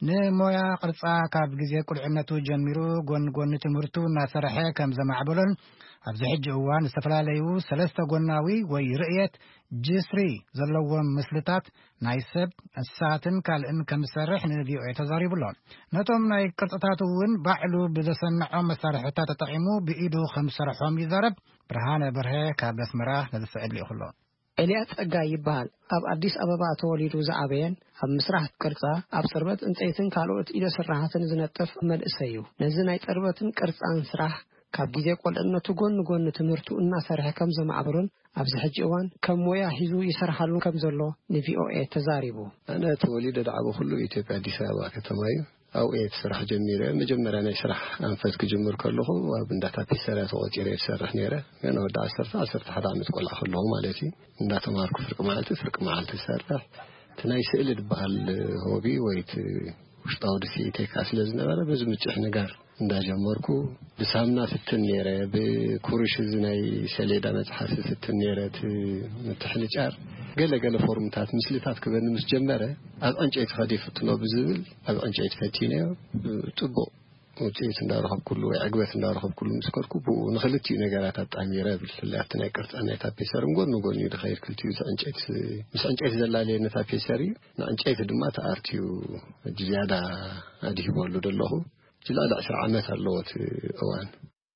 ንሞያ ቅርጻ ካብ ግዜ ቁልዕነቱ ጀሚሩ ጎን ጎኒ ትምህርቱ እናሰርሐ ከም ዘማዕበሎን ኣብዚ ሕጂ እዋን ዝተፈላለዩ ሰለስተ ጎናዊ ወይ ርእየት ጅስሪ ዘለዎም ምስልታት ናይ ሰብ፣ እንስሳትን ካልእን ከም ዝሰርሕ ን ቪኦኤ ተዛሪቡ ኣሎ። ነቶም ናይ ቅርጽታት እውን ባዕሉ ብዘሰንዖም መሳርሕታት ተጠቒሙ ብኢዱ ከም ዝሰርሖም ይዛረብ። ብርሃነ በርሀ ካብ ኣስመራ ነዚ ስዕል ልኢኹ ኣሎ። ኤልያስ ጸጋይ ይበሃል። ኣብ ኣዲስ ኣበባ ተወሊዱ ዝዓበየን ኣብ ምስራሕ ቅርጻ፣ ኣብ ጽርበት ዕንጸይትን ካልኦት ኢደ ስራሓትን ዝነጥፍ መንእሰይ እዩ። ነዚ ናይ ጽርበትን ቅርጻን ስራሕ ካብ ግዜ ቆልዕነቱ ጎኒ ጎኒ ትምህርቱ እናሰርሐ ከም ዘማዕበሎን ኣብዚ ሕጂ እዋን ከም ሞያ ሒዙ ይሰርሓሉ ከም ዘሎ ንቪኦኤ ተዛሪቡ። ኣነ ተወሊደ ዝዓበኹሉ ኢትዮጵያ ኣዲስ ኣበባ ከተማ እዩ። ኣብኡ እየ እቲ ስራሕ ጀሚረ። መጀመርያ ናይ ስራሕ ኣንፈት ክጅምር ከለኹ ኣብ እንዳ ታፔሰርያ ተቖጺረ እየ ዝሰርሕ ነይረ። ገና ወዲ ዓሰርተ፣ ዓሰርተ ሓደ ዓመት ቆልዓ ከለኹ ማለት እዩ። እንዳተማሃርኩ ፍርቂ መዓልቲ፣ ፍርቂ መዓልቲ ዝሰርሕ። እቲ ናይ ስእሊ ዝበሃል ሆቢ ወይ እቲ ውሽጣዊ ድስኢተይ ከኣ ስለ ዝነበረ በዚ ምጭሕ ንጋር እንዳጀመርኩ ብሳምና ፍትን ነይረ፣ ብኩሩሽ እዚ ናይ ሰሌዳ መጽሓፊ ፍትን ነይረ፣ እቲ ምትሕልጫር ገለ ገለ ፎርምታት ምስልታት ክበኒ ምስ ጀመረ ኣብ ዕንጨይቲ ከዲ ፍትኖ ብዝብል ኣብ ዕንጨይቲ ፈቲነዮ። ጽቡቕ ውጽኢት እንዳረኸብኩሉ ወይ ዕግበት እንዳረኸብኩሉ ምስ ከድኩ ብኡ ንኽልቲኡ ነገራት ኣጣሚረ እብል። ብፍላይ ኣብቲ ናይ ቅርጻ ናይ ታፔሰርን ጎኒ ጎኒ እዩ ዝኸይድ ክልቲኡ። እዚ ዕንጨይቲ ምስ ዕንጨይቲ ዘላለየ ነታ ፔሰር እዩ፣ ንዕንጨይቲ ድማ እቲ ኣርት እዩ ሕጂ ዝያዳ ኣድሂበሉ ዘለኹ። ሕጂ ልዕሊ ዕስራ ዓመት ኣለዎ እቲ እዋን።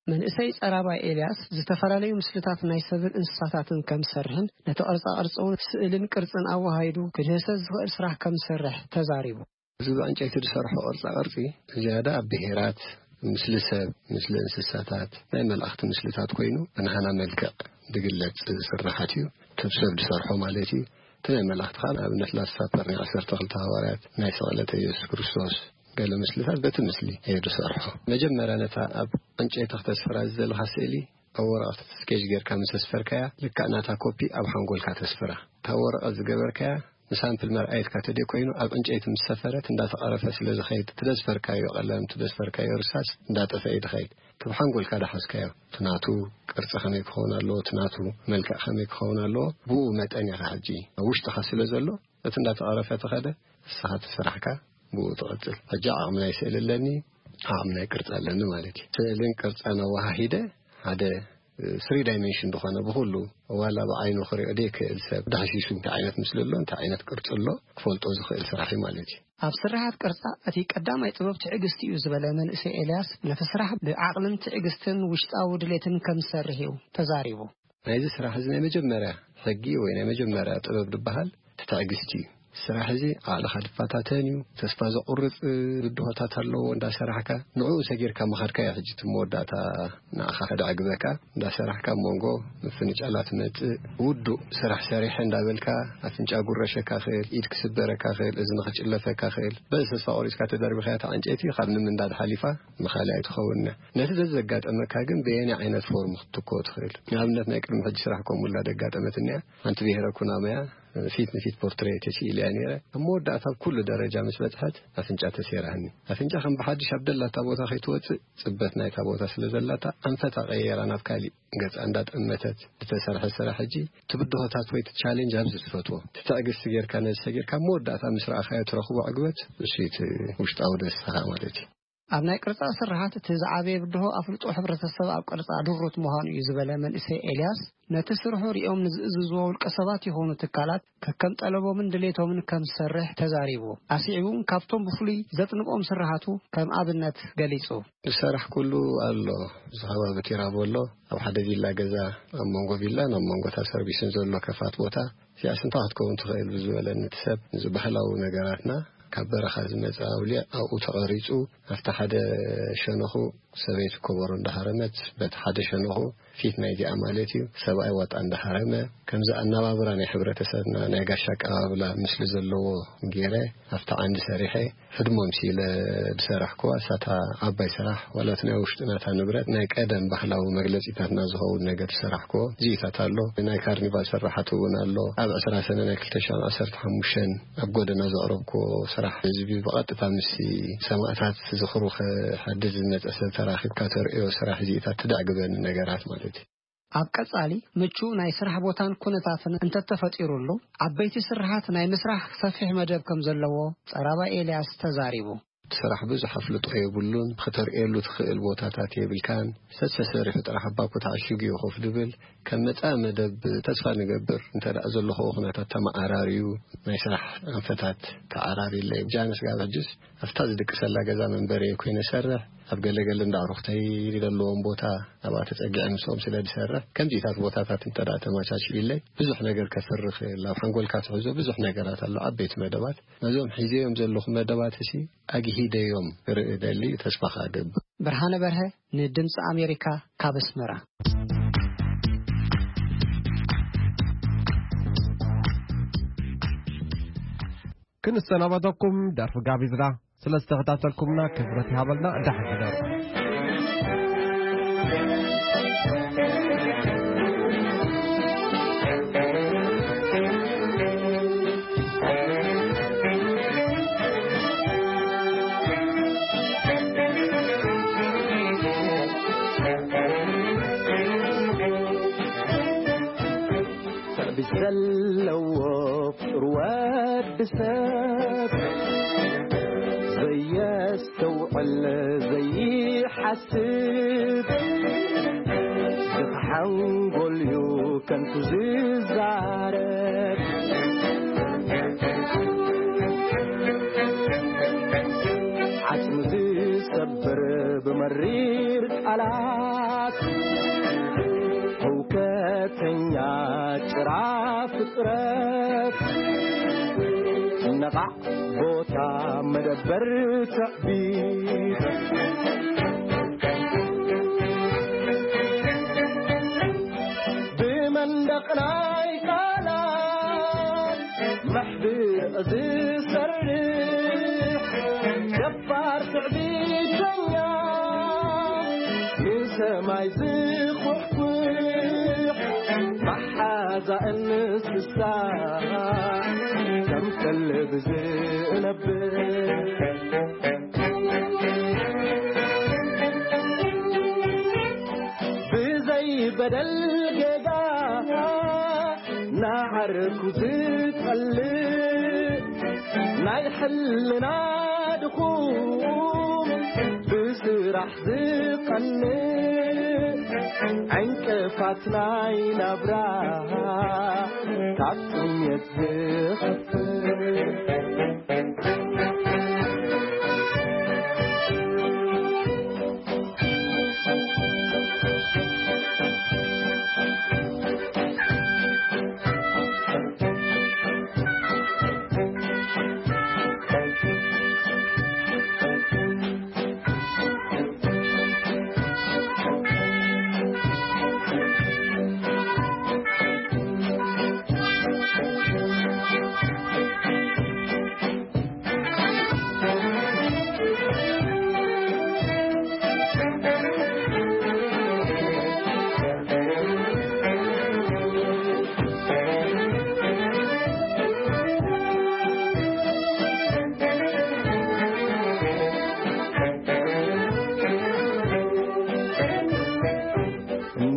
መንእሰይ ጸራባይ ኤልያስ ዝተፈላለዩ ምስልታት ናይ ሰብን እንስሳታትን ከም ዝሰርሕን ነቲ ቅርጻ ቅርጺ እውን ስእልን ቅርጽን ኣወሃሂዱ ክድህሰስ ዝኽእል ስራሕ ከም ዝሰርሕ ተዛሪቡ። እዚ ብዕንጨይቲ ዝሰርሖ ቅርጻ ቅርጺ ዝያዳ ኣብ ብሄራት፣ ምስሊ ሰብ፣ ምስሊ እንስሳታት፣ ናይ መላእኽቲ ምስልታት ኮይኑ ብናህና መልክዕ ዝግለጽ ስርሓት እዩ። ሰብ ሰብ ዝሰርሖ ማለት እዩ። እቲ ናይ መላእኽቲ ከዓ ንኣብነት ላስት ሳፐር ናይ ዓሰርተ ክልተ ሃዋርያት፣ ናይ ስቕለት ኢየሱስ ክርስቶስ ገለ ምስልታት በቲ ምስሊ እየ ዝሰርሖ። መጀመርያ ነታ ኣብ ዕንጨይቲ ክተስፍራ ዝደለኻ ስእሊ ኣብ ወረቐት ስኬች ጌርካ ምስ ኣስፈርካያ ልክዕ ናታ ኮፒ ኣብ ሓንጎልካ ተስፍራ። እታ ወረቐት ዝገበርካያ ንሳምፕል መርኣየትካ ተደይ ኮይኑ ኣብ ዕንጨይቲ ምስ ሰፈረት እንዳተቐረፈ ስለ ዝኸይድ እቲ ዘስፈርካዮ ቀለም፣ እቲ ዘስፈርካዮ ርሳስ እንዳጠፈ እዩ ዝኸይድ። እቲ ብሓንጎልካ ዝሓዝካዮ እቲ ናቱ ቅርጺ ከመይ ክኸውን ኣለዎ፣ እቲ ናቱ መልክዕ ከመይ ክኸውን ኣለዎ፣ ብኡ መጠን ኢኻ ሕጂ ኣብ ውሽጥኻ ስለ ዘሎ እቲ እንዳተቐረፈ ተኸደ ንስኻ እቲ ስራሕካ ብኡ ትቕጽል። ሕጂ ዓቕሚ ናይ ስእሊ ኣለኒ፣ ዓቕሚ ናይ ቅርጺ ኣለኒ ማለት እዩ። ስእልን ቅርጻን ኣወሃሂደ ሓደ ስሪ ዳይሜንሽን ዝኾነ ብኹሉ ዋላ ብዓይኑ ክሪኦ ዘይክእል ሰብ ዳህሲሱ እንታይ ዓይነት ምስሊ ኣሎ፣ እንታይ ዓይነት ቅርጺ ኣሎ ክፈልጦ ዝኽእል ስራሕ እዩ ማለት እዩ። ኣብ ስርሓት ቅርጻ እቲ ቀዳማይ ጥበብ ትዕግስቲ እዩ ዝበለ መንእሰይ ኤልያስ ነቲ ስራሕ ብዓቕልን ትዕግስትን ውሽጣዊ ድሌትን ከም ዝሰርሕ እዩ ተዛሪቡ። ናይዚ ስራሕ እዚ ናይ መጀመርያ ሕጊ ወይ ናይ መጀመርያ ጥበብ ዝበሃል እቲ ትዕግስቲ እዩ። ስራሕ እዚ ዓቕልኻ ዝፈታተን እዩ። ተስፋ ዘቑርጽ ብድሆታት ኣለዎ። እንዳሰራሕካ ንዕኡ ሰጊርካ ምኻድካ እዩ ሕጂ እቲ መወዳእታ ንዓኻ ከደዕግበካ። እንዳሰራሕካ ኣብ መንጎ ምፍንጫላት መጽእ ውዱእ ስራሕ ሰሪሐ እንዳበልካ ኣፍንጫ ጉረሸካ ክእል፣ ኢድ ክስበረካ ክእል፣ እዝኒ ክጭለፈካ ክእል። በዚ ተስፋ ቆሪጽካ ተደርቢኻያ እታ ዕንጨይቲ ካብ ንምንዳድ ሓሊፋ ንኻልእ ኣይትኸውን እያ። ነቲ ዘዘጋጠመካ ግን በየናይ ዓይነት ፎርም ክትትኮ ትኽእል? ንኣብነት ናይ ቅድሚ ሕጂ ስራሕ ከምኡላ ደጋጠመት እኒኣ። ሓንቲ ብሄረ ኩናማያ ፊት ንፊት ፖርትሬት ተስኢለያ ነይረ። ኣብ መወዳእታ ኣብ ኩሉ ደረጃ ምስ በጽሐት ኣፍንጫ ተሴራኒ። ኣፍንጫ ከም ብሓድሽ ኣብ ደላታ ቦታ ከይትወጽእ ጽበት ናይታ ቦታ ስለ ዘላታ ኣንፈታ ቀየራ ናብ ካሊእ ገጻ እንዳጠመተት ዝተሰርሐ ስራሕ ሕጂ ትብድሆታት ወይ ትቻሌንጅ ኣብዚ ትፈትዎ ትትዕግስቲ ጌርካ ነዚ ሰጊርካ ኣብ መወዳእታ ምስ ረኣኻዮ ትረኽቦ ዕግበት እሱ እዩ እቲ ውሽጣዊ ደስታኻ ማለት እዩ። ኣብ ናይ ቅርጻ ስርሓት እቲ ዝዓበየ ብድሆ ኣፍልጦ ሕብረተሰብ ኣብ ቅርጻ ድሩት ምዃኑ እዩ ዝበለ መንእሰይ ኤልያስ፣ ነቲ ስርሑ ሪኦም ንዝእዝዝዎ ውልቀ ሰባት ይኹኑ ትካላት ከከም ጠለቦምን ድሌቶምን ከም ዝሰርሕ ተዛሪቡ። ኣስዒቡ እውን ካብቶም ብፍሉይ ዘጥንቆም ስርሓቱ ከም ኣብነት ገሊጹ። ዝሰራሕ ኩሉ ኣሎ። እዚ ከባቢ ቲራቦ ኣሎ። ኣብ ሓደ ቪላ ገዛ ኣብ መንጎ ቪላን ኣብ መንጎ እታ ሰርቪስን ዘሎ ከፋት ቦታ እዚኣስ እንታይ ክትከውን ትኽእል ብዝበለኒ እቲ ሰብ፣ እዚ ባህላዊ ነገራትና ካብ በረኻ ዝመጸ ኣውሊዕ ኣብኡ ተቐሪጹ ኣብቲ ሓደ ሸነኹ ሰበይቲ ኮበሮ እንዳሃረመት በቲ ሓደ ሸነኹ ፊት ናይዚኣ ማለት እዩ ሰብኣይ ዋጣ እንዳሃረመ ከምዚ ኣነባብራ ናይ ሕብረተሰብና ናይ ጋሻ ኣቀባብላ ምስሊ ዘለዎ ገይረ ኣብቲ ዓንዲ ሰሪሐ ህድሞም ሲለ ዝሰራሕኩዋ እሳታ ዓባይ ስራሕ ዋላ እቲ ናይ ውሽጥና እታ ንብረት ናይ ቀደም ባህላዊ መግለጺታትና ዝኸውን ነገር ዝሰራሕኩዎ እዚኢታት ኣሎ። ናይ ካርኒቫል ስራሓት እውን ኣሎ። ኣብ ዕስራ ሰነ ናይ ክልተ ሽሕን ዓሰርተ ሓሙሽተን ኣብ ጎደና ዘቕረብኩዎ ስራሕ ህዝቢ ብቐጥታ ምስ ሰማእታት ዝኽሩ ከሐድስ ዝመጸ ሰብ ተራኺብካ ተርእዮ ስራሕ እዚኢታት ትደዕግበኒ ነገራት ማለት እዩ። ኣብ ቀጻሊ ምቹእ ናይ ስራሕ ቦታን ኩነታትን እንተተፈጢሩሉ፣ ዓበይቲ ስርሓት ናይ ምስራሕ ሰፊሕ መደብ ከም ዘለዎ ጸራባ ኤልያስ ተዛሪቡ። እቲ ስራሕ ብዙሕ ኣፍልጦ የብሉን፣ ክተርእየሉ ትኽእል ቦታታት የብልካን። ሰሰሰሪሑ ጥራሕ ኣብ ባኮ ተዓሺጉ እዩ ኮፍ ድብል። ከም መጻኢ መደብ ተስፋ ንገብር፣ እንተ ደኣ ዘሎ ኸኡ ኩነታት ተመዓራርዩ፣ ናይ ስራሕ ኣንፈታት ተዓራርዩለይ። ጃንስ ጋብ ሕጅስ ኣብታ ዝድቅሰላ ገዛ መንበሪ ኮይነ ሰርሕ፣ ኣብ ገለገለ እንዳ ኣዕሩኽተይ ዘለዎም ቦታ ኣብኣ ተጸጊዐ ምስኦም ስለ ዝሰርሕ፣ ከምዚታት ቦታታት እንተ ደኣ ተመቻችዩለይ፣ ብዙሕ ነገር ከፍሪ ክእል። ኣብ ሓንጎልካ ትሕዞ ብዙሕ ነገራት ኣሎ፣ ዓበይቲ መደባት። ነዞም ሒዘዮም ዘለኹ መደባት እሲ ኣግሂደዮም ክርኢ እደሊ፣ ተስፋ ከኣ እገብር። ብርሃነ በርሀ፣ ንድምፂ ኣሜሪካ፣ ካብ ኣስመራ። ክንሰናበተኩም ደርፊ ጋቢዝና። ስለ ዝተኸታተልኩምና ክብረት ይሃበልና። ደሓን ሕደሩ። ትዕቢት ዘለዎ ፍጡር ወዲ ሰብ፣ ዘየስተውዕል ዘይሓስብ፣ ዝሓንጎልዩ ከንቱ ዝዛረብ፣ ዓጽሚ ዝሰብር ብመሪር ቃላት፣ ህውከተኛ ጭራ ፍጥረት፣ ነቓዕ ቦታ መደበር ትዕቢት፣ ብመንደቕ ናይ ቃላት መሕብእ ዝሰርሕ፣ ደፋር ትዕቢተኛ፣ ንሰማይ ዝኹሕኩሕ፣ መሓዛ እንስሳ፣ ከም ከልቢ ዝነብር፣ ብዘይ በደል ጌጋ፣ ንዓርኩ ዝጸልእ፣ ናይ ሕልና ድኹም፣ ብስራሕ ዝቐንእ፣ ዕንቅፋት ናይ ናብራ፣ ካብ ጥሜት ዝኸፍእ።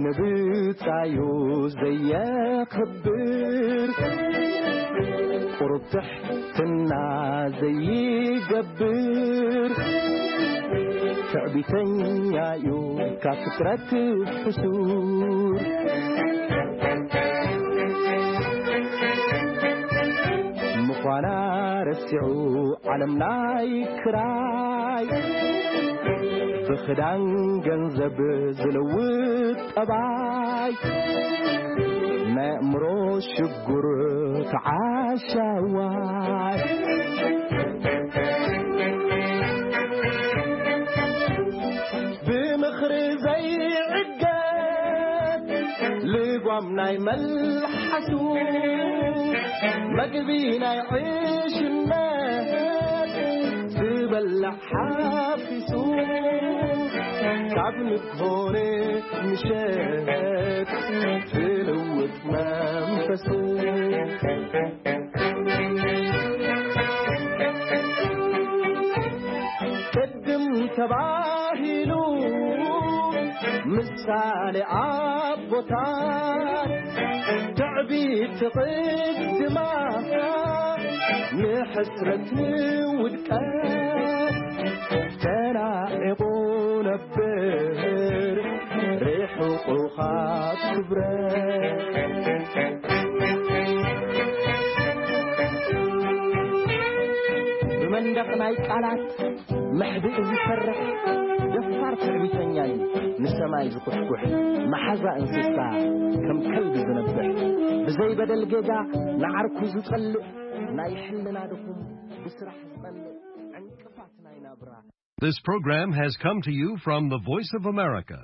ንብጻዩ ዘየኽብር፣ ቁሩብ ትሕትና ዘይገብር፣ ትዕቢተኛዩ ካብ ፍጥረት ሕሱር፣ ምዃና ረሲዑ ዓለም ናይ ክራይ፣ ብኽዳን ገንዘብ ዝልውጥ ጠባይ፣ ናይ ኣእምሮ ሽጉር ተዓሻዋይ፣ ብምኽሪ ዘይዕገት ልጓም ናይ መልሓሱ፣ መግቢ ናይ ዕሽነት ዝበልዕ ሓፊሱ፣ ካብ ንግሆ ንምሸት ትልውጥ መንፈሱ። ቅድም ተባሂሉ ምሳሌ ኣቦታት ትዕቢት ትቕድማ፣ ንሕስረት ንውድቀት ተናዒቑ ነብር፣ ርሑቑ ካብ ክብረት። ብመንደቕ ናይ ቃላት መሕብኢ ዝሰርሕ ደፋር ትዕቢተኛ እዩ። ንሰማይ ዝኹሕኩሕ መሓዛ እንስሳ፣ ከም ከልቢ ዝነብሕ፣ ብዘይበደል ጌጋ ንዓርኩ ዝጸልእ፣ ናይ ሕልና ድኹም ብስራሕ ዝጸልእ ዕንቅፋት ናይ ናብራ። This program has come to you from the Voice of America.